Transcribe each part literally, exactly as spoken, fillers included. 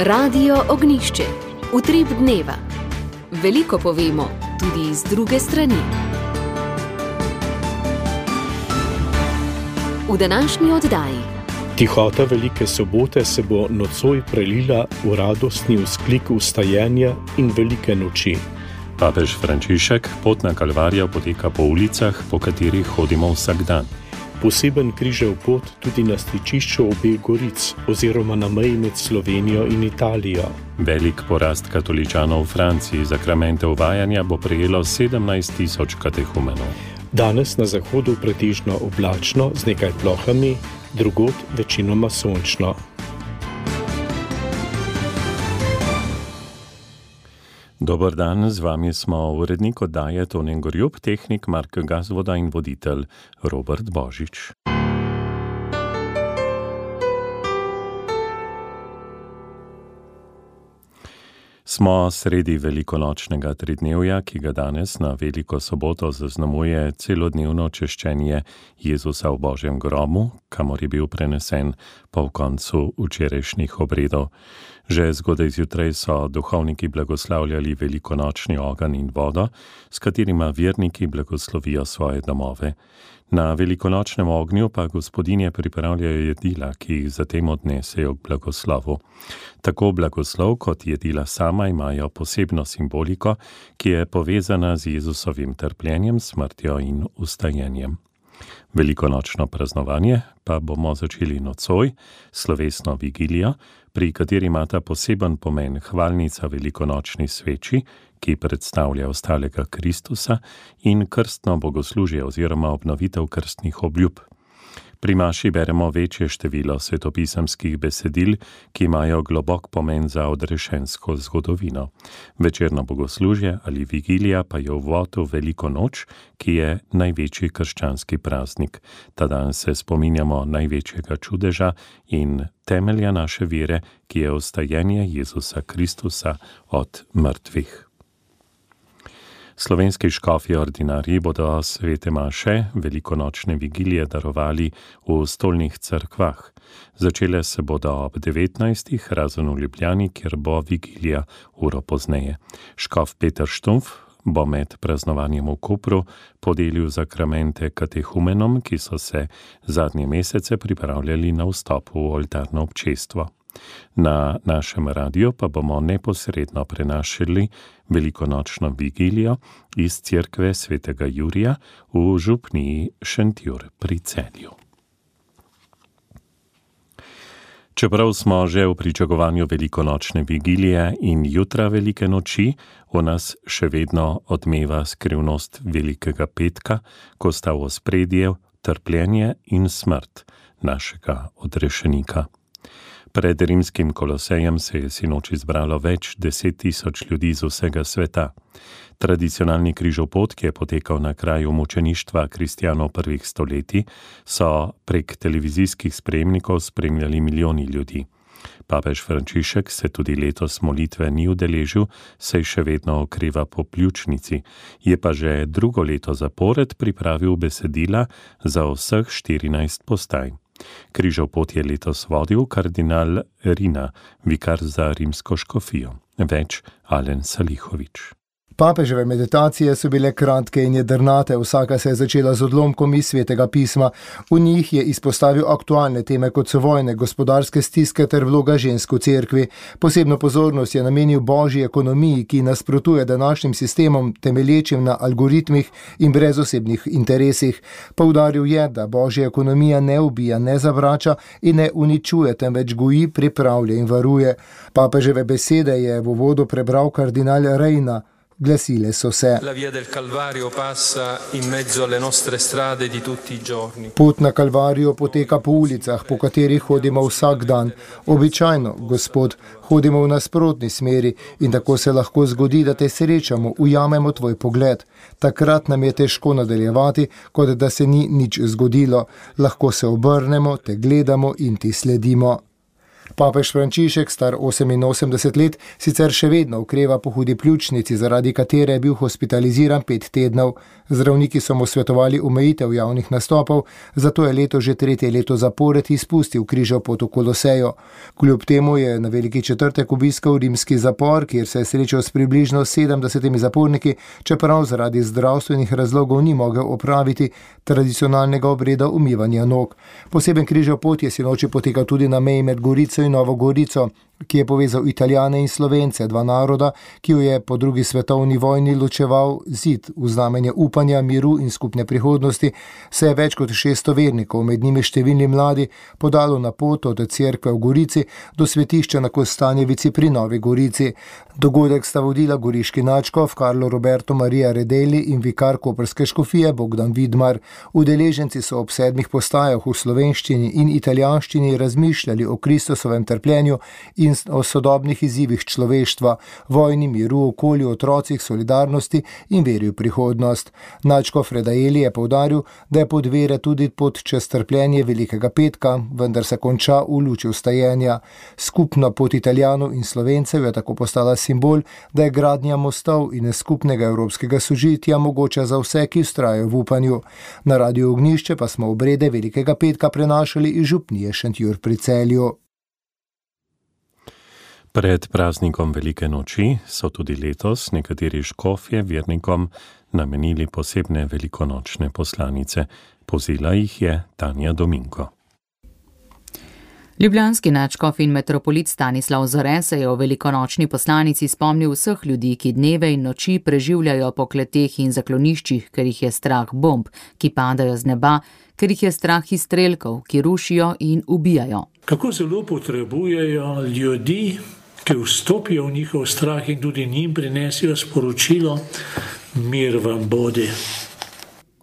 Radio Ognjišče, utrip dneva. Veliko povemo, tudi iz druge strani. V današnji oddaji. Tihota Velike sobote se bo nocoj prelila v radostni vzklik vstajanja in velike noči. Papež Frančišek, potna kalvarija poteka po ulicah, po katerih hodimo vsak dan. Poseben križev pot tudi na stičišču obeh goric oziroma na meji med Slovenijo in Italijo. Velik porast katoličanov v Franciji, zakramente uvajanja bo prejelo sedemnajst tisoč katehumenov. Danes na zahodu pretežno oblačno z nekaj plohami, drugod večinoma sončno. Dober dan, z vami smo urednik oddaje Tonen Gorjup, tehnik Mark Gazvoda in voditelj Robert Božič. Smo sredi velikonočnega tridnevja, ki ga danes na Veliko soboto zaznamuje celodnevno češčenje Jezusa v Božjem grobu, kamor je bil prenesen po koncu včerajšnjih obredov. Že zgodaj zjutraj so duhovniki blagoslavljali velikonočni ogenj in vodo, s katerima verniki blagoslovijo svoje domove. Na velikonočnem ognju pa gospodinje pripravljajo jedila, ki jih zatem odnesejo k blagoslovu. Tako blagoslov kot jedila sama imajo posebno simboliko, ki je povezana z Jezusovim trpljenjem, smrtjo in vstajenjem. Velikonočno praznovanje pa bomo začeli nocoj, slovesno vigilijo, pri kateri imata poseben pomen hvalnica velikonočni sveči, ki predstavlja ostalega Kristusa, in krstno bogoslužje oziroma obnovitev krstnih obljub. Pri maši beremo večje število svetopisemskih besedil, ki imajo globok pomen za odrešensko zgodovino. Večerno bogoslužje ali vigilija pa je uvod v veliko noč, ki je največji krščanski praznik. Ta dan se spominjamo največjega čudeža in temelja naše vere, ki je vstajenje Jezusa Kristusa od mrtvih. Slovenski škofje ordinarji bodo svete maše velikonočne vigilije darovali v stolnih cerkvah. Začele se bodo ob devetnajstih, razen v Ljubljani, kjer bo vigilija uro pozneje. Škof Peter Štumpf bo med praznovanjem v Kopru podelil zakramente katehumenom, ki so se zadnje mesece pripravljali na vstop v oltarno občestvo. Na našem radiju pa bomo neposredno prenašali velikonočno vigilijo iz cerkve svetega Jurija v župniji Šentjur pri Celju. Čeprav smo že v pričakovanju velikonočne vigilije in jutra velike noči, v nas še vedno odmeva skrivnost velikega petka, ko sta v ospredje trpljenje in smrt našega odrešenika. Pred rimskim Kolosejem se je sinoči zbralo več deset tisoč ljudi z vsega sveta. Tradicionalni križev pot, ki je potekal na kraju mučeništva kristjanov prvih stoletij, so prek televizijskih spremnikov spremljali milijoni ljudi. Papež Frančišek se tudi letos molitve ni udeležil, saj še vedno okreva po pljučnici. Je pa že drugo leto zapored pripravil besedila za vseh štirinajst postaj. Križev pot je letos vodil kardinal Rina, vikar za rimsko škofijo. Več Alen Salihovič. Papeževe meditacije so bile kratke in jedrnate, vsaka se je začela z odlomkom iz Svetega pisma. V njih je izpostavil aktualne teme, kot so vojne, gospodarske stiske ter vloga žensk v cerkvi. Posebno pozornost je namenil božji ekonomiji, ki nasprotuje današnjim sistemom, temelječim na algoritmih in brez osebnih interesih. Poudaril je, da božja ekonomija ne ubija, ne zavrača in ne uničuje, temveč goji, pripravlja in varuje. Papeževe besede je v uvodu prebral kardinal Reina. Glasile so se: Pot na Kalvarijo poteka po ulicah, po katerih hodimo vsak dan. Običajno, Gospod, hodimo v nasprotni smeri in tako se lahko zgodi, da te srečamo, ujamemo tvoj pogled. Takrat nam je težko nadaljevati, kot da se ni nič zgodilo. Lahko se obrnemo, te gledamo in ti sledimo. Papež Frančišek, star oseminosemdeset let, sicer še vedno okreva po hudi pljučnici, zaradi katere je bil hospitaliziran pet tednov. Zdravniki so mu svetovali omejitev javnih nastopov, zato je leto že tretje leto zapored izpustil križev pot v Kolosejo. Kljub temu je na Veliki četrtek obiskal rimski zapor, kjer se je srečal s približno sedemdesetimi zaporniki, čeprav zaradi zdravstvenih razlogov ni mogel opraviti tradicionalnega obreda umivanja nog. Poseben križev pot je sinoči potekal tudi na meji med Gorico in Novo Gorico, ki je povezal Italijane in Slovence, dva naroda, ki jo je po drugi svetovni vojni ločeval zid v znamenje upanja, miru in skupne prihodnosti, se je več kot šeststo vernikov, med njimi številni mladi, podalo na pot od cerkve v Gorici do svetišča na Kostanjevici pri Novi Gorici. Dogodek sta vodila goriški nadškof Carlo Roberto Maria Redeli in vikar koprske škofije Bogdan Vidmar. Udeleženci so ob sedmih postajah v slovenščini in italijanščini razmišljali o Kristusovem trpljenju in o sodobnih izzivih človeštva, vojni, miru, okolju, otrocih, solidarnosti in veri v prihodnost. Nadškof Redeli je poudaril, da je pot vere tudi pot čez trpljenje Velikega petka, vendar se konča v luči vstajenja. Skupna pot Italijanov in Slovencev je tako postala simbol, da je gradnja mostov in skupnega evropskega sožitja mogoča za vse, ki vztrajajo v upanju. Na Radiu Ognjišče pa smo obrede Velikega petka prenašali iz župnije Šentjur pri Celju. Pred praznikom Velike noči so tudi letos nekateri škofje vernikom namenili posebne velikonočne poslanice. Povzela jih je Tanja Dominko. Ljubljanski nadškof in metropolit Stanislav Zore se je o velikonočni poslanici spomnil vseh ljudi, ki dneve in noči preživljajo po kleteh in zakloniščih, ker jih je strah bomb, ki padajo z neba, ker jih je strah izstrelkov, ki rušijo in ubijajo. Kako zelo potrebujejo ljudi, ki vstopijo v njihov strah in tudi njim prinesijo sporočilo: mir vam bodi.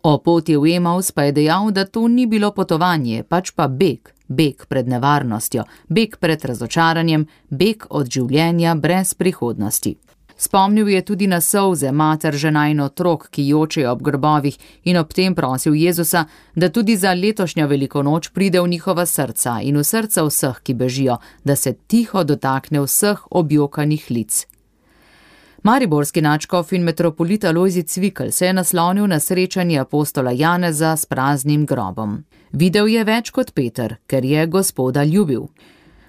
O poti v Emaus pa je dejal, da to ni bilo potovanje, pač pa beg. Beg pred nevarnostjo, beg pred razočaranjem, beg od življenja brez prihodnosti. Spomnil je tudi na solze mater, žena in otrok, ki jočejo ob grobovih, in ob tem prosil Jezusa, da tudi za letošnjo veliko noč pride v njihova srca in v srca vseh, ki bežijo, da se tiho dotakne vseh objokanih lic. Mariborski nadškof in metropolit Alojzij Cvikl se je naslonil na srečanje apostola Janeza s praznim grobom. Videl je več kot Peter, ker je Gospoda ljubil.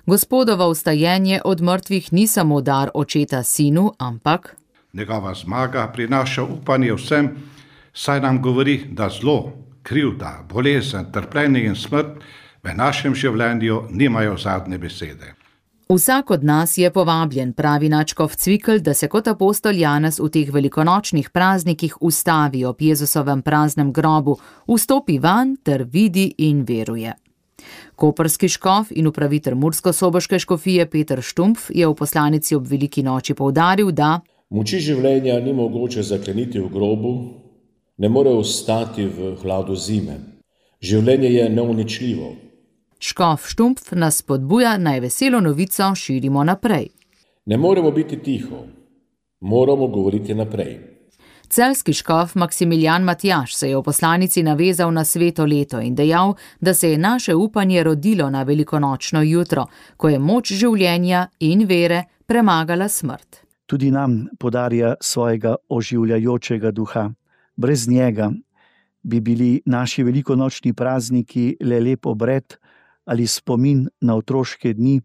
Gospodovo vstajenje od mrtvih ni samo dar očeta sinu, ampak njegova zmaga prinaša upanje vsem, saj nam govori, da zlo, krivda, bolezen, trpljenje in smrt v našem življenju nimajo zadnje besede. Vsak od nas je povabljen, pravi nadškof Cvikl, da se kot apostol Janez v teh velikonočnih praznikih ustavi ob Jezusovem praznem grobu, vstopi van ter vidi in veruje. Koprski škof in upravitelj murskosoboške škofije Peter Štumpf je v poslanici ob veliki noči poudaril, da moči življenja ni mogoče zakleniti v grobu, ne more ostati v hladu zime. Življenje je neuničljivo. Škof Štumpf nas spodbuja, naj veselo novico širimo naprej. Ne moremo biti tiho, moramo govoriti naprej. Celjski škof Maksimilijan Matjaž se je v poslanici navezal na sveto leto in dejal, da se je naše upanje rodilo na velikonočno jutro, ko je moč življenja in vere premagala smrt. Tudi nam podarja svojega oživljajočega duha. Brez njega bi bili naši velikonočni prazniki le lep obred ali spomin na otroške dni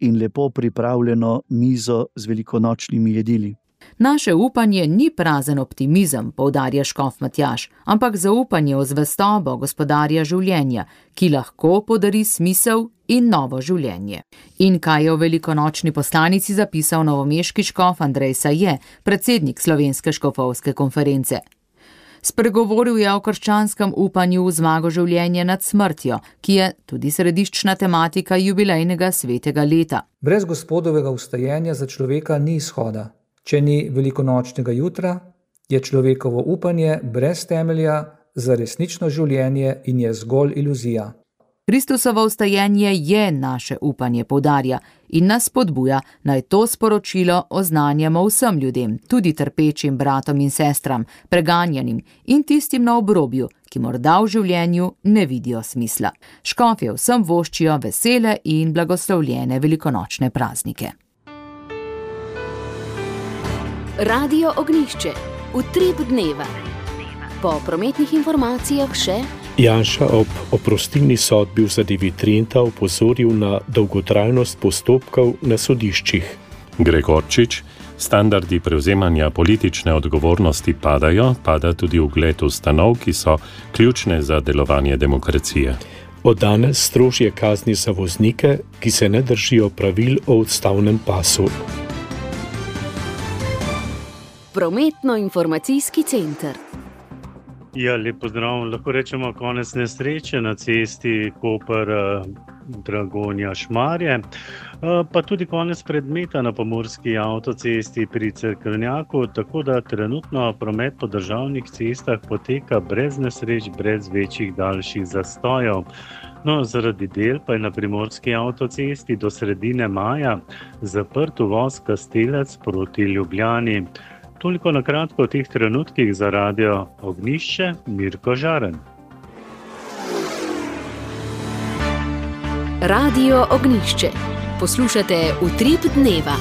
in lepo pripravljeno mizo z velikonočnimi jedili. Naše upanje ni prazen optimizem, poudarja škof Matjaž, ampak zaupanje v zvestobo gospodarja življenja, ki lahko podari smisel in novo življenje. In kaj je v velikonočni poslanici zapisal novomeški škof Andrej Saje, predsednik Slovenske škofovske konference. Spregovoril je o krščanskem upanju v zmago življenja nad smrtjo, ki je tudi središčna tematika jubilejnega svetega leta. Brez Gospodovega vstajenja za človeka ni izhoda. Če ni velikonočnega jutra, je človekovo upanje brez temelja za resnično življenje in je zgolj iluzija. Kristusovo vstajenje je naše upanje, poudarja, in nas spodbuja, naj to sporočilo oznanjamo vsem ljudem, tudi trpečim bratom in sestram, preganjanim in tistim na obrobju, ki morda v življenju ne vidijo smisla. Škofje vsem voščijo vesele in blagoslovljene velikonočne praznike. Radio Ognjišče, utrip dneva. Po prometnih informacijah še Janša ob oprostilni sodbi v zadevi Trenta opozoril na dolgotrajnost postopkov na sodiščih. Gregorčič, standardi prevzemanja politične odgovornosti padajo, pada tudi ugled ustanov, ki so ključne za delovanje demokracije. Od danes strožje kazni za voznike, ki se ne držijo pravil o odstavnem pasu. Prometno-informacijski center. Ja, lep pozdrav. Lahko rečemo konec nesreče na cesti Koper-Dragonja-Šmarje, pa tudi konec predmeta na pomurski avtocesti pri Cerkvenjaku, tako da trenutno promet po državnih cestah poteka brez nesreč, brez večjih daljših zastojev. No, zaradi del pa je na primorski avtocesti do sredine maja zaprt uvoz Kastelec proti Ljubljani. Toliko na kratko o teh trenutkih za Radio Ognjišče, Mirko Žaren. Radio Ognjišče. Poslušate Utrip dneva.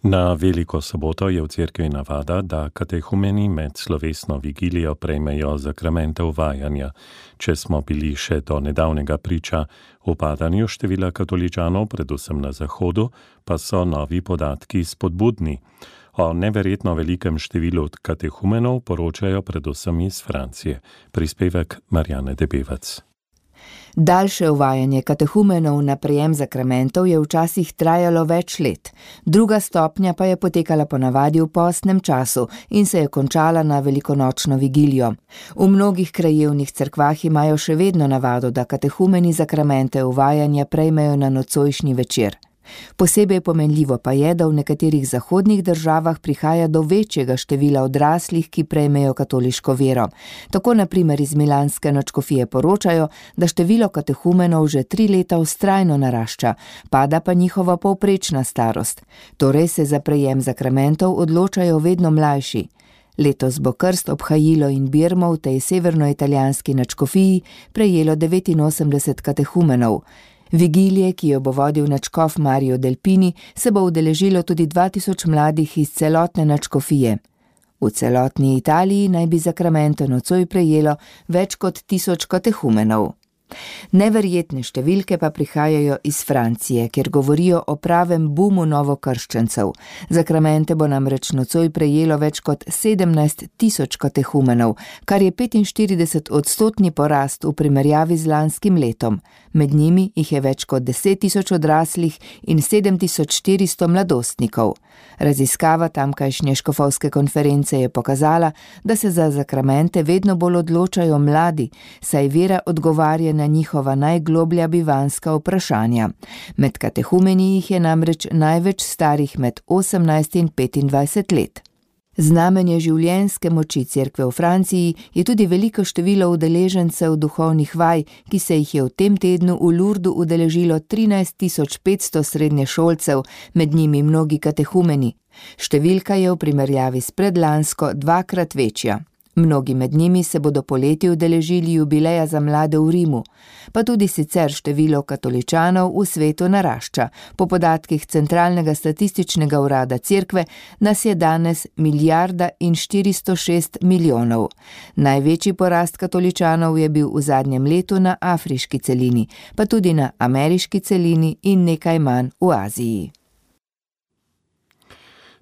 Na Veliko soboto je v cerkvi navada, da katehumeni med slovesno vigilijo prejmejo zakramente uvajanja. Če smo bili še do nedavnega priča upadanju števila katoličanov, predvsem na zahodu, pa so novi podatki spodbudni. O neverjetno velikem številu katehumenov poročajo predvsem iz Francije. Prispevek Marjane Debevec. Daljše uvajanje katehumenov na prejem zakramentov je včasih trajalo več let. Druga stopnja pa je potekala ponavadi v postnem času in se je končala na velikonočno vigilijo. V mnogih krajevnih cerkvah imajo še vedno navado, da katehumeni zakramente uvajanja prejmejo na nocojšnji večer. Posebej pomenljivo pa je, da v nekaterih zahodnih državah prihaja do večjega števila odraslih, ki prejmejo katoliško vero. Tako na primer iz milanske nadškofije poročajo, da število katehumenov že tri leta vztrajno narašča, pada pa njihova povprečna starost. Torej se za prejem zakramentov odločajo vedno mlajši. Letos bo krst ob Hajilo in Birmo v tej severnoitalijanski nadškofiji prejelo devetinosemdeset katehumenov. Vigilije, ki jo bo vodil nadškof Mario Delpini, se bo udeležilo tudi dva tisoč mladih iz celotne nadškofije. V celotni Italiji naj bi zakramente nocoj prejelo več kot tisoč katehumenov. Neverjetne številke pa prihajajo iz Francije, kjer govorijo o pravem bumu novokrščencev. Zakramente bo namreč nocoj prejelo več kot sedemnajst tisoč katehumenov, kar je petinštirideset odstotni porast v primerjavi z lanskim letom. Med njimi jih je več kot deset tisoč odraslih in sedem tisoč štiristo mladostnikov. Raziskava tamkajšnje škofovske konference je pokazala, da se za zakramente vedno bolj odločajo mladi, saj vera odgovarja na njihova najgloblja bivanska vprašanja. Med katehumeni jih je namreč največ starih med osemnajst in petindvajset let. Znamenje življenjske moči cerkve v Franciji je tudi veliko število udeležencev duhovnih vaj, ki se jih je v tem tednu v Lourdu udeležilo trinajst tisoč petsto srednješolcev, med njimi mnogi katehumeni. Številka je v primerjavi s predlansko dvakrat večja. Mnogi med njimi se bodo poleti udeležili jubileja za mlade v Rimu, pa tudi sicer število katoličanov v svetu narašča. Po podatkih Centralnega statističnega urada cerkve nas je danes milijarda in štiristo šest milijonov. Največji porast katoličanov je bil v zadnjem letu na afriški celini, pa tudi na ameriški celini in nekaj manj v Aziji.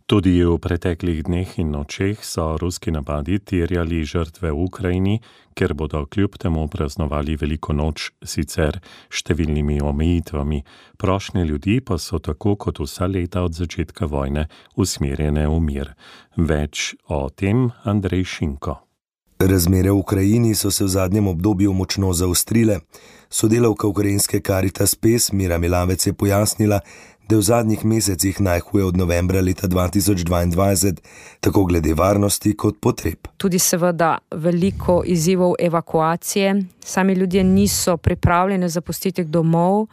Tudi v preteklih dneh in nočeh so ruski napadi terjali žrtve v Ukrajini, ker bodo kljub temu praznovali veliko noč, sicer številnimi omejitvami. Prošnje ljudi pa so tako kot vsa leta od začetka vojne usmerjene v mir. Več o tem Andrej Šinko. Razmere v Ukrajini so se v zadnjem obdobju močno zaostrile. Sodelavka ukrajinske Caritas Pes Mira Milavec je pojasnila, da je v zadnjih mesecih najhuje od novembra leta dva tisoč dvaindvajset, tako glede varnosti kot potreb. Tudi seveda veliko izzivov evakuacije. Sami ljudje niso pripravljeni zapustiti domov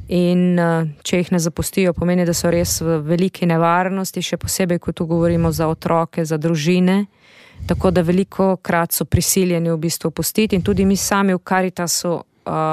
in če jih ne zapustijo, pomeni, da so res v veliki nevarnosti, še posebej, ko tu govorimo za otroke, za družine. Tako da veliko krat so prisiljeni v bistvu pustiti in tudi mi sami v Caritasu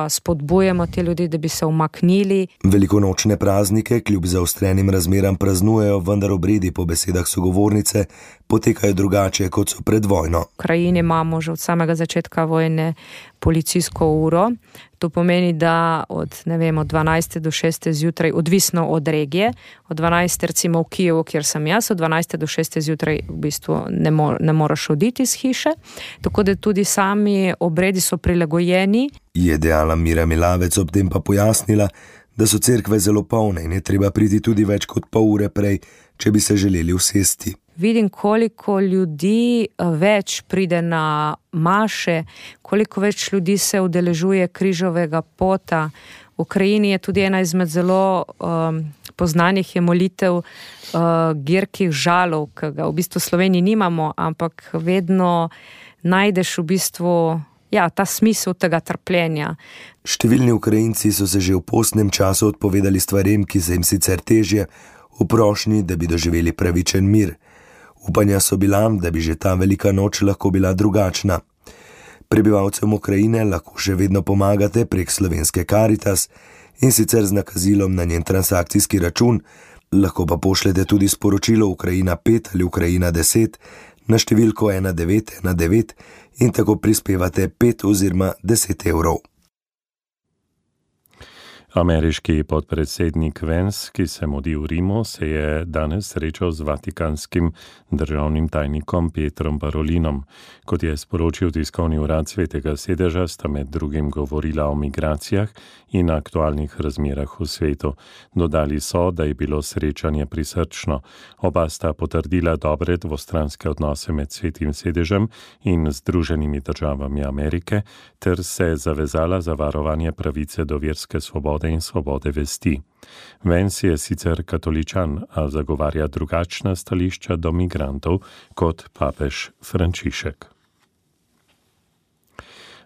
spodbujamo te ljudi, da bi se umaknili. Velikonočne praznike kljub zaostrenim razmeram praznujejo, vendar obredi po besedah sogovornice potekajo drugače, kot so pred vojno. V Ukrajini imamo že od samega začetka vojne policijsko uro. To pomeni, da od, ne vem, od dvanajste do šeste zjutraj, odvisno od regije, od dvanajste recimo v Kijevu, kjer sem jaz, od dvanajste do šeste zjutraj v bistvu ne, mo- ne moraš oditi iz hiše, tako da tudi sami obredi so prilagojeni. Je dejala Mira Milavec, ob tem pa pojasnila, da so cerkve zelo polne in je treba priti tudi več kot pol ure prej, če bi se želeli usesti. Vidim, koliko ljudi več pride na maše, koliko več ljudi se udeležuje križovega pota. V Ukrajini je tudi ena izmed zelo um, poznanih je molitev uh, girkih žalov, ki ga v bistvu v Sloveniji nimamo, ampak vedno najdeš v bistvu ja, ta smisel tega trpljenja. Številni Ukrajinci so se že v postnem času odpovedali stvarem, ki se jim sicer težje, v prošnji, da bi doživeli pravičen mir. Upanja so bila, da bi že ta velika noč lahko bila drugačna. Prebivalcem Ukrajine lahko še vedno pomagate prek slovenske Caritas in sicer z nakazilom na njen transakcijski račun, lahko pa pošljete tudi sporočilo Ukrajina pet ali Ukrajina deset na številko ena devet ena devet in tako prispevate pet oziroma deset evrov. Ameriški podpredsednik Vance, ki se mudi v Rimu, se je danes srečal z vatikanskim državnim tajnikom Petrom Parolinom. Kot je sporočil tiskovni urad Svetega sedeža, sta med drugim govorila o migracijah in aktualnih razmerah v svetu. Dodali so, da je bilo srečanje prisrčno. Oba sta potrdila dobre dvostranske odnose med Svetim sedežem in Združenimi državami Amerike ter se zavezala za varovanje pravice do verske svobode in svobode vesti. Vance je sicer katoličan, a zagovarja drugačna stališča do migrantov kot papež Frančišek.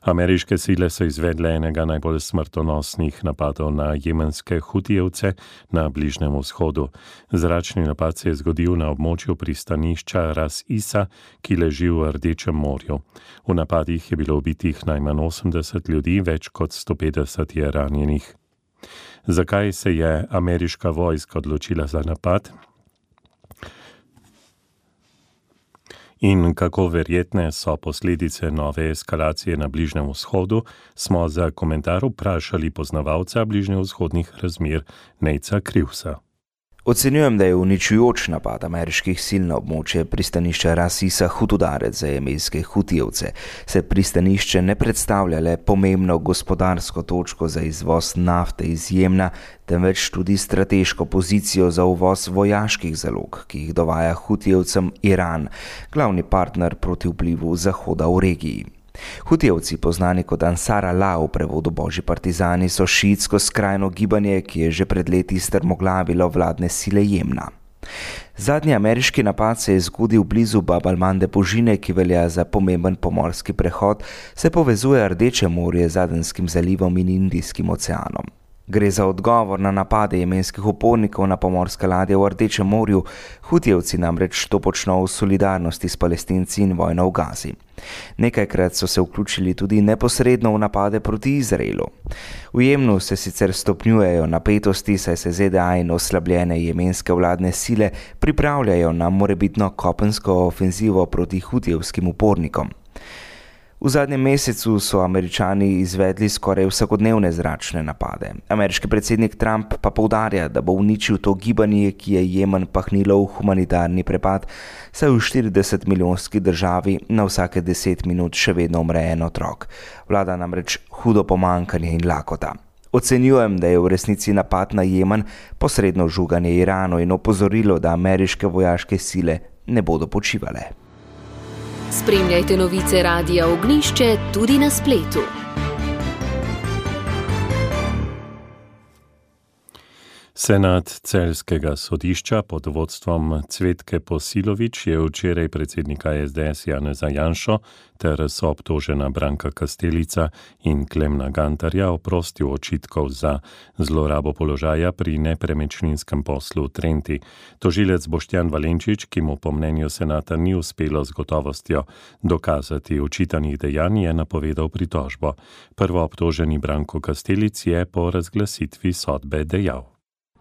Ameriške sile so izvedle enega najbolj smrtonosnih napadov na jemenske hutijevce na Bližnjem vzhodu. Zračni napad se je zgodil na območju pristanišča Ras Isa, ki leži v Rdečem morju. V napadih je bilo ubitih najmanj osemdeset ljudi, več kot sto petdeset je ranjenih. Zakaj se je ameriška vojska odločila za napad? In kako verjetne so posledice nove eskalacije na Bližnjem vzhodu, smo za komentar vprašali poznavalca bližnjevzhodnih razmer Nejca Krivsa. Ocenjujem, da je uničujoč napad ameriških sil na območje pristanišča Ras Isa hud udarec za jemenske hutijevce. Se pristanišče ne predstavlja le pomembno gospodarsko točko za izvoz nafte iz Jemna, temveč tudi strateško pozicijo za uvoz vojaških zalog, ki jih dovaja hutijevcem Iran, glavni partner proti vplivu Zahoda v regiji. Hutijevci, poznani kot Ansar Allah v prevodu Božji partizani, so šiitsko skrajno gibanje, ki je že pred leti strmoglavilo vladne sile Jemna. Zadnji ameriški napad se je zgodil blizu Bab al-Mande Božine, ki velja za pomemben pomorski prehod, se povezuje Rdeče morje z Adenskim zalivom in Indijskim oceanom. Gre za odgovor na napade jemenskih upornikov na pomorske ladje v Rdečem morju. Hutijevci namreč to počno v solidarnosti s Palestinci in vojno v Gazi. Nekajkrat so se vključili tudi neposredno v napade proti Izraelu. V Jemnu se sicer stopnjujejo napetosti, saj se Z D A in oslabljene jemenske vladne sile pripravljajo na morebitno kopensko ofenzivo proti hutijevskim upornikom. V zadnjem mesecu so Američani izvedli skoraj vsakodnevne zračne napade. Ameriški predsednik Trump pa poudarja, da bo uničil to gibanje, ki je Jemen pahnilo v humanitarni prepad, saj v štirideset milijonski državi na vsake deset minut še vedno umre en otrok. Vlada namreč hudo pomanjkanje in lakota. Ocenjujem, da je v resnici napad na Jemen posredno žuganje Iranu in opozorilo, da ameriške vojaške sile ne bodo počivale. Spremljajte novice Radia Ognjišče tudi na spletu. Senat celjskega sodišča pod vodstvom Cvetke Posilović je včeraj predsednika es de es Janeza Janšo ter soobtožena Branka Kastelica in Klemna Gantarja oprostil očitkov za zlorabo položaja pri nepremičninskem poslu v Trenti. Tožilec Boštjan Valenčič, ki mu po mnenju senata ni uspelo z gotovostjo dokazati očitanih dejanj, je napovedal pritožbo. Prvoobtoženi Branko Kastelic je po razglasitvi sodbe dejal: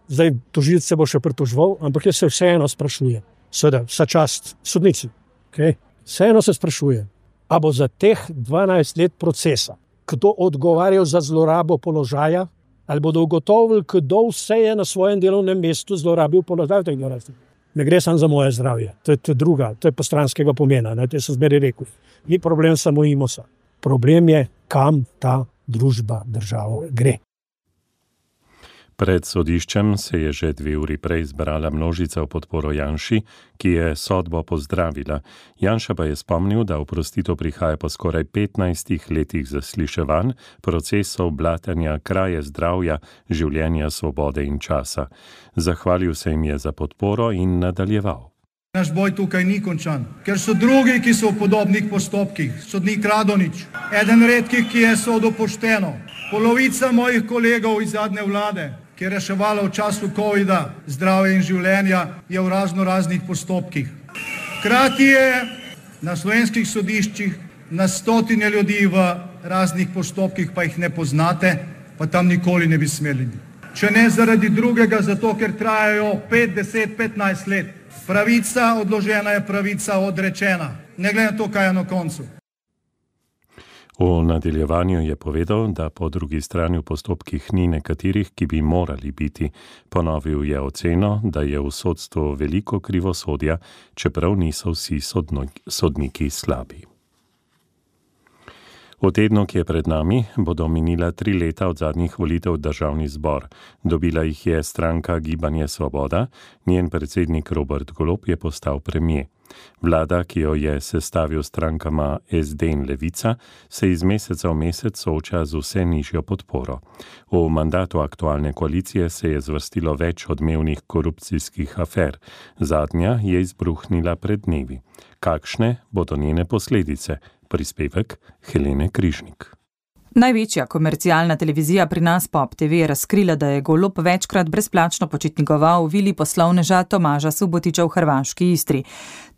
Zdaj, tožilec se bo še pritoževal, ampak jaz se vseeno sprašujem, seveda, vsa čast sodnici, okay? Vseeno se sprašujem, a bo za teh dvanajst let procesa kdo odgovarjal za zlorabo položaja, ali bodo ugotovili, kdo vse je na svojem delovnem mestu zlorabil položaj v teh dvanajstih. Ne gre samo za moje zdravje, to je, to je druga, to je postranskega pomena, ne, to sem zmeraj rekel. Ni problem samo Imosa, problem je, kam ta družba, država gre. Pred sodiščem se je že dve uri prej zbrala množica v podporo Janši, ki je sodbo pozdravila. Janša pa je spomnil, da oprostitev prihaja po skoraj petnajstih letih zasliševanj, procesov, blatenja, kraje zdravja, življenja, svobode in časa. Zahvalil se jim je za podporo in nadaljeval. Naš boj tukaj ni končan, ker so drugi, ki so v podobnih postopkih. Sodnik Radonič, eden redkih, ki je sodil pošteno. Polovica mojih kolegov iz zadnje vlade, ki je reševala v času covida zdravje in življenja, je v razno raznih postopkih. Hkrati je na slovenskih sodiščih na stotine ljudi v raznih postopkih, pa jih ne poznate, pa tam nikoli ne bi smeli. Če ne zaradi drugega, zato ker trajajo pet, deset, petnajst let. Pravica odložena je pravica odrečena, ne glede na to, kaj je na koncu. V nadaljevanju je povedal, da po drugi strani v postopkih ni nekaterih, ki bi morali biti. Ponovil je oceno, da je v sodstvu veliko krivosodja, čeprav niso vsi sodniki slabi. V tednu, ki je pred nami, bodo minila tri leta od zadnjih volitev v državni zbor. Dobila jih je stranka Gibanje Svoboda, njen predsednik Robert Golob je postal premier. Vlada, ki jo je sestavil strankama es de in Levica, se iz meseca v mesec sooča z vse nižjo podporo. V mandatu aktualne koalicije se je zvrstilo več odmevnih korupcijskih afer. Zadnja je izbruhnila pred dnevi. Kakšne bodo njene posledice? Prispevek Helene Križnik. Največja komercialna televizija pri nas Pop te ve je razkrila, da je Golob večkrat brezplačno počitnikoval v vili poslovneža Tomaža Subotiča v hrvaški Istri.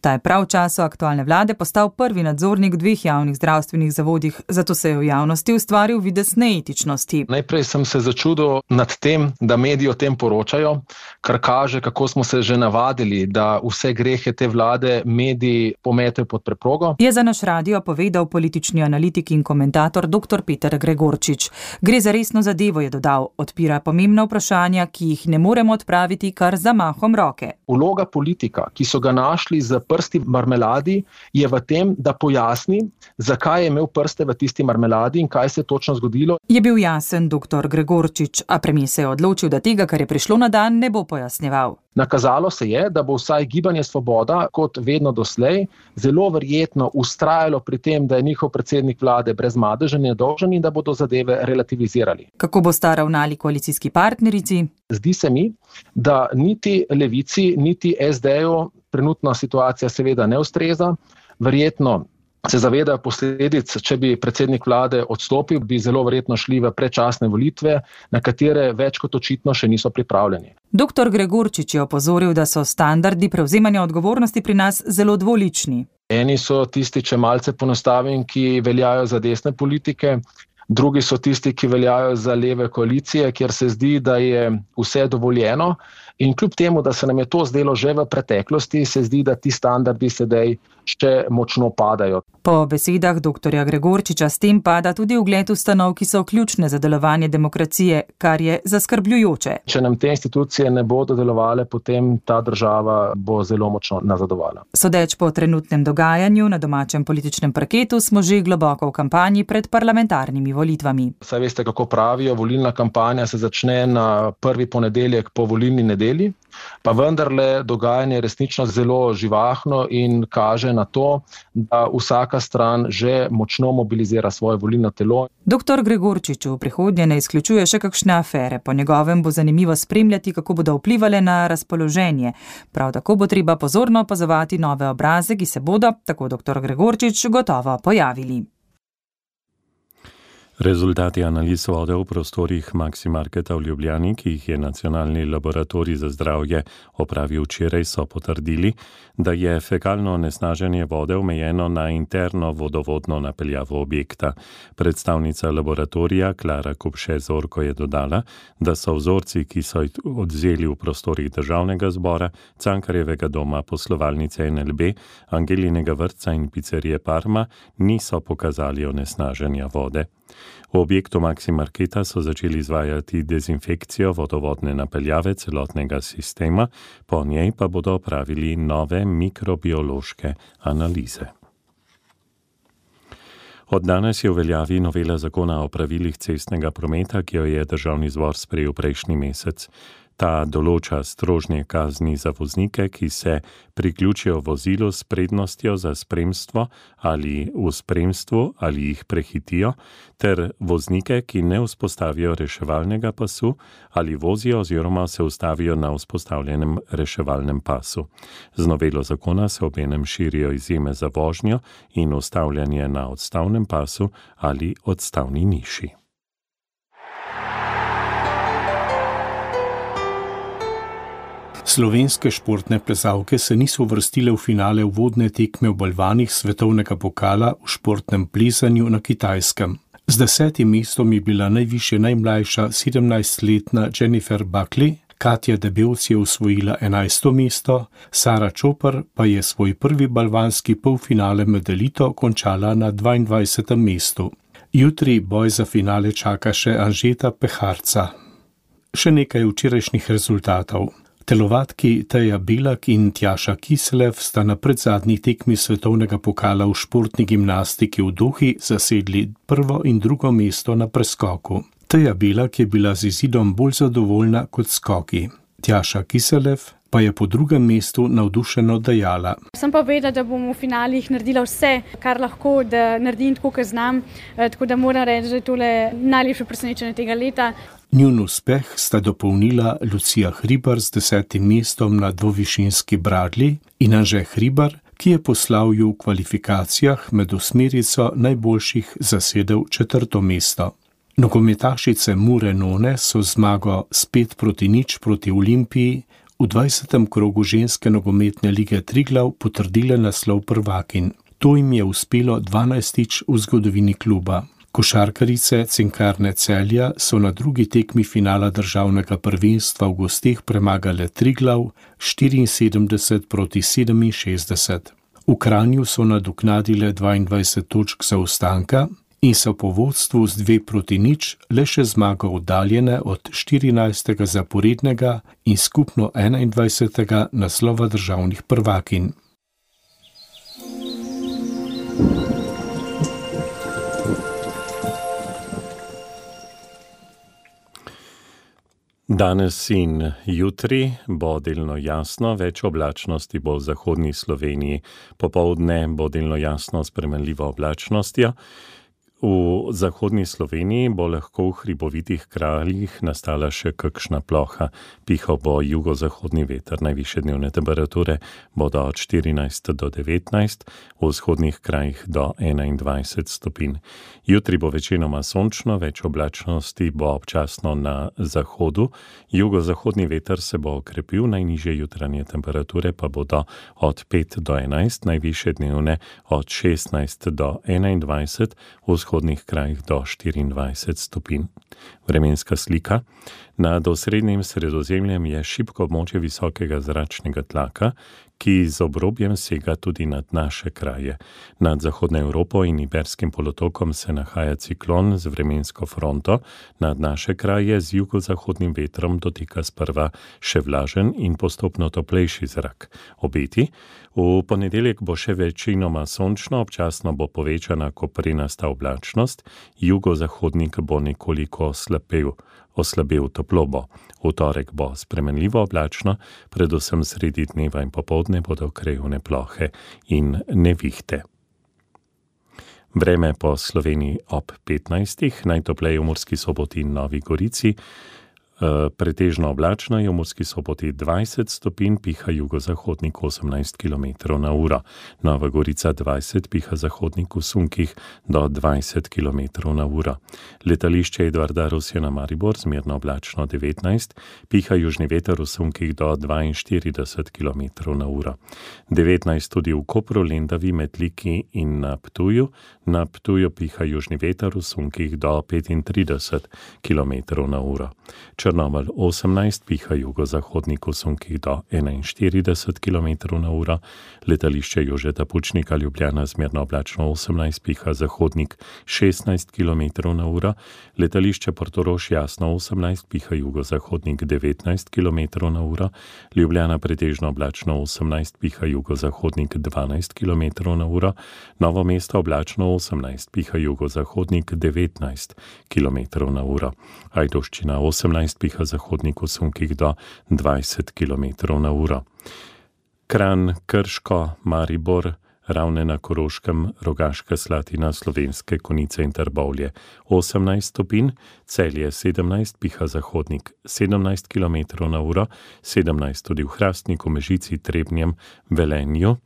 Ta je prav v času aktualne vlade postal prvi nadzornik v dveh javnih zdravstvenih zavodih, zato se je v javnosti ustvaril videz neetičnosti. Najprej sem se začudil nad tem, da mediji o tem poročajo, kar kaže, kako smo se že navadili, da vse grehe te vlade mediji pometejo pod preprogo. Je za naš radio povedal politični analitik in komentator doktor Peter Gregorčič. Gre za resno zadevo, je dodal, odpira pomembna vprašanja, ki jih ne moremo odpraviti kar zamahom roke. Vloga politika, ki so ga našli z prsti v marmeladi, je v tem, da pojasni, zakaj je imel prste v tisti marmeladi in kaj se je točno zgodilo. Je bil jasen doktor Gregorčič, a premier se je odločil, da tega, kar je prišlo na dan, ne bo pojasnjeval. Nakazalo se je, da bo vsaj Gibanje Svoboda, kot vedno doslej, zelo verjetno ustrajalo pri tem, da je njihov predsednik vlade brez madeža nedolžen in da bodo zadeve relativizirali. Kako bo sta ravnali koalicijski partnerici? Zdi se mi, da niti Levici, niti es de-ju trenutna situacija seveda ne ustreza. Verjetno se zavedajo posledic, če bi predsednik vlade odstopil, bi zelo verjetno šli v predčasne volitve, na katere več kot očitno še niso pripravljeni. Doktor Gregorčič je opozoril, da so standardi prevzemanja odgovornosti pri nas zelo dvolični. Eni so tisti, če malce ponostavim, ki veljajo za desne politike, drugi so tisti, ki veljajo za leve koalicije, kjer se zdi, da je vse dovoljeno. In kljub temu, da se nam je to zdelo že v preteklosti, se zdi, da ti standardi sedaj še močno padajo. Po besedah doktorja Gregorčiča s tem pada tudi ugled ustanov, ki so ključne za delovanje demokracije, kar je zaskrbljujoče. Če nam te institucije ne bodo delovale, potem ta država bo zelo močno nazadovala. Sodeč po trenutnem dogajanju na domačem političnem parketu smo že globoko v kampanji pred parlamentarnimi volitvami. Saj veste, kako pravijo, volilna kampanja se začne na prvi ponedeljek po volilni nedelji. živeli, pa vendarle dogajanje je resnično zelo živahno in kaže na to, da vsaka stran že močno mobilizira svoje volilno telo. Doktor Gregorčič v prihodnje ne izključuje še kakšne afere. Po njegovem bo zanimivo spremljati, kako bodo vplivali na razpoloženje. Prav tako bo treba pozorno opazovati nove obraze, ki se bodo, tako doktor Gregorčič, gotovo pojavili. Rezultati analiz vode v prostorih Maximarketa v Ljubljani, ki jih je Nacionalni laboratorij za zdravje opravil včeraj, so potrdili, da je fekalno onesnaženje vode omejeno na interno vodovodno napeljavo objekta. Predstavnica laboratorija Klara Kupše-Zorko je dodala, da so vzorci, ki so jih odvzeli v prostorih Državnega zbora, Cankarjevega doma, poslovalnice N L B, Angelinega vrtca in picerije Parma, niso pokazali onesnaženja vode. V objektu Maximarketa so začeli izvajati dezinfekcijo vodovodne napeljave celotnega sistema, po njej pa bodo opravili nove mikrobiološke analize. Od danes je v veljavi novela zakona o pravilih cestnega prometa, ki jo je Državni zbor sprejel prejšnji mesec. Ta določa strožje kazni za voznike, ki se priključijo vozilu s prednostjo za spremstvo ali v spremstvu ali jih prehitijo, ter voznike, ki ne vzpostavijo reševalnega pasu ali vozijo oziroma se ustavijo na vzpostavljenem reševalnem pasu. Z novelo zakona se obenem širijo izjeme za vožnjo in ustavljanje na odstavnem pasu ali odstavni niši. Slovenske športne plezalke se niso uvrstile v finale uvodne tekme v balvanih svetovnega pokala v športnem plezanju na Kitajskem. Z desetim mestom je bila najvišje najmlajša sedemnajstletna Jennifer Buckley, Katja Debevc je osvojila enajsto mesto, Sara Čopar pa je svoj prvi balvanski polfinale med elito končala na dvaindvajsetem mestu. Jutri boj za finale čaka še Anžeta Peharca. Še nekaj včerajšnjih rezultatov. Telovadki Teja Belak in Tjaša Kiselev sta na predzadnji tekmi svetovnega pokala v športni gimnastiki v Dohi zasedli prvo in drugo mesto na preskoku. Teja Belak je bila z izidom bolj zadovoljna kot skoki. Tjaša Kiselev pa je po drugem mestu navdušeno dejala. Sem pa vedela, da bom v finalih naredila vse, kar lahko, da naredim tako, kot znam, tako da moram reči, da je tole najlepše presenečenje tega leta. Njun uspeh sta dopolnila Lucija Hribar z desetim mestom na dvovišinski bradlji in Anže Hribar, ki je po slavju v kvalifikacijah med osmerico najboljših zasedel četrto mesto. Nogometašice Mure None so zmago s pet proti nič proti Olimpiji v dvajsetem krogu ženske nogometne lige Triglav potrdile naslov prvakinj. To jim je uspelo dvanajstič v zgodovini kluba. Košarkarice Cinkarne Celja so na drugi tekmi finala državnega prvenstva v gosteh premagale Triglav štiriinsedemdeset proti sedeminšestdeset. V Kranju so nadoknadile dvaindvajset točk zaostanka in so po vodstvu z dve proti nič le še zmago oddaljene od štirinajstega zaporednega in skupno enaindvajsetega naslova državnih prvakinj. Danes in jutri bo delno jasno, več oblačnosti bo v zahodni Sloveniji. Popoldne bo delno jasno s spremenljivo oblačnostjo. V zahodni Sloveniji bo lahko v hribovitih krajih nastala še kakšna ploha. Pihal bo jugozahodni veter, najvišje dnevne temperature bodo od štirinajst do devetnajst, v vzhodnih krajih do enaindvajset stopinj. Jutri bo večinoma sončno, več oblačnosti bo občasno na zahodu. Jugozahodni veter se bo okrepil, najnižje jutranje temperature pa bodo od pet do enajst, najvišje dnevne od šestnajst do enaindvajset, v vzhodnih krajih do štiriindvajset stopinj. Vremenska slika. Nad osrednjim Sredozemljem je šibko območje visokega zračnega tlaka, ki z obrobjem sega tudi nad naše kraje. Nad Zahodno Evropo in Iberskim polotokom se nahaja ciklon z vremensko fronto, nad naše kraje z jugozahodnim vetrom dotika sprva še vlažen in postopno toplejši zrak. Obeti. V ponedeljek bo še večinoma sončno, občasno bo povečana koprenasta oblačnost, jugozahodnik bo nekoliko slabel. oslabel toplo bo. V torek bo spremenljivo oblačno, predvsem sredi dneva in popoldne bodo krajevne plohe in nevihte. Vreme po Sloveniji ob petnajstih, najtopleje v Murski Soboti in Novi Gorici. Pretežno oblačno je v Murski Soboti dvajset stopinj, piha jugozahodnik osemnajst kilometrov na uro. Nova Gorica dvajset, piha zahodnik v sunkih do dvajset kilometrov na uro. Letališče Edvarda Rusjana Maribor zmerno oblačno devetnajst, piha južni veter v sunkih do dvainštirideset kilometrov na uro. devetnajst tudi v Kopru, Lendavi, Metliki in na Ptuju. Na Ptuju piha južni veter v sunkih do petintrideset kilometrov na uro. Črnomelj osemnajst, piha jugozahodnik v sunkih do enainštirideset kilometrov na uro. Letališče Jožeta Pučnika Ljubljana zmerno oblačno osemnajst, piha zahodnik šestnajst kilometrov na uro. Letališče Portorož jasno osemnajst, piha jugozahodnik devetnajst kilometrov na uro. Ljubljana pretežno oblačno osemnajst, piha jugozahodnik dvanajst kilometrov na uro. Novo mesto oblačno osemnajst, piha jugozahodnik devetnajst kilometrov na uro. Ajdovščina osemnajst, piha zahodnik v sunkih do dvajset kilometrov na uro. Kranj, Krško, Maribor, Ravne na Koroškem, Rogaška Slatina, Slovenske Konjice in Trbovlje osemnajst stopinj, Celje sedemnajst, piha zahodnik sedemnajst kilometrov na uro, sedemnajst tudi v Hrastniku, Mežici, Trebnjem, Velenju.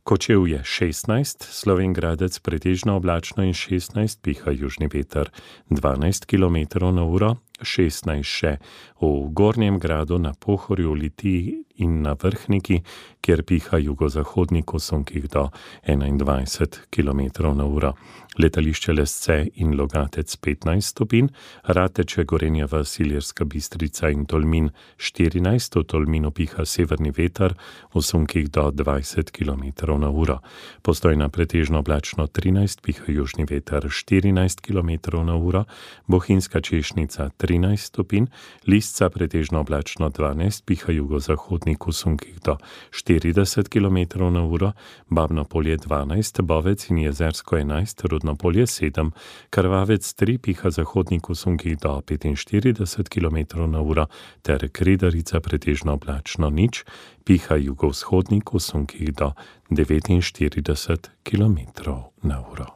Kočevje šestnajst, Slovenj Gradec pretežno oblačno in šestnajst, piha južni veter dvanajst kilometrov na uro, šestnajst še v Gornjem Gradu, na Pohorju, Litiji in na Vrhniki, kjer piha jugozahodnik v sunkih do enaindvajset kilometrov na uro. Letališče Lesce in Logatec petnajst stopinj, Rateče, Gorenja vas, Ilirska Bistrica in Tolmin štirinajst, v Tolminu piha severni veter v sunkih do dvajset kilometrov na uro. Postojna pretežno oblačno trinajst, piha južni veter štirinajst kilometrov na uro, Bohinjska Češnica trinajst stopinj, Lisca pretežno oblačno dvanajst, piha jugozahodnik v sunkih do štirideset kilometrov na uro, Babno Polje dvanajst, Bovec in Jezersko enajst, Rudno Polje sedem, Krvavec tri, piha zahodnik v sunkih do petinštirideset kilometrov na uro, ter Kredarica pretežno oblačno nič, piha jugovzhodnik v sunkih do devetinštirideset kilometrov na uro.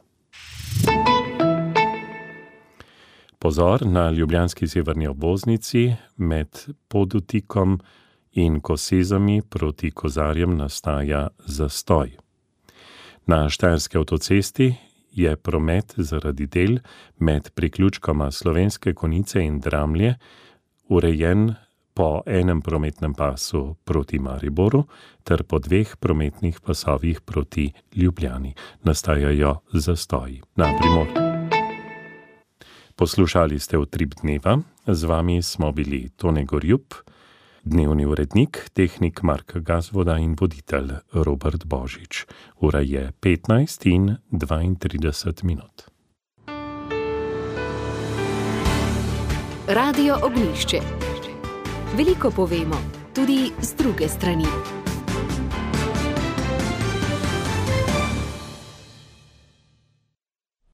Pozor, na ljubljanski severni obvoznici med Podutikom in Kosezami proti Kozarjem nastaja zastoj. Na štajerski avtocesti je promet zaradi del med priključkoma Slovenske Konjice in Dramlje urejen po enem prometnem pasu proti Mariboru ter po dveh prometnih pasovih proti Ljubljani. Nastajajo zastoji. Na Primorju. Poslušali ste Utrip dneva, z vami smo bili Tone Gorjup, dnevni urednik, tehnik Mark Gazvoda in voditelj Robert Božič. Ura je petnajst in dvaintrideset minut. Radio Ognjišče. Veliko povemo, tudi z druge strani.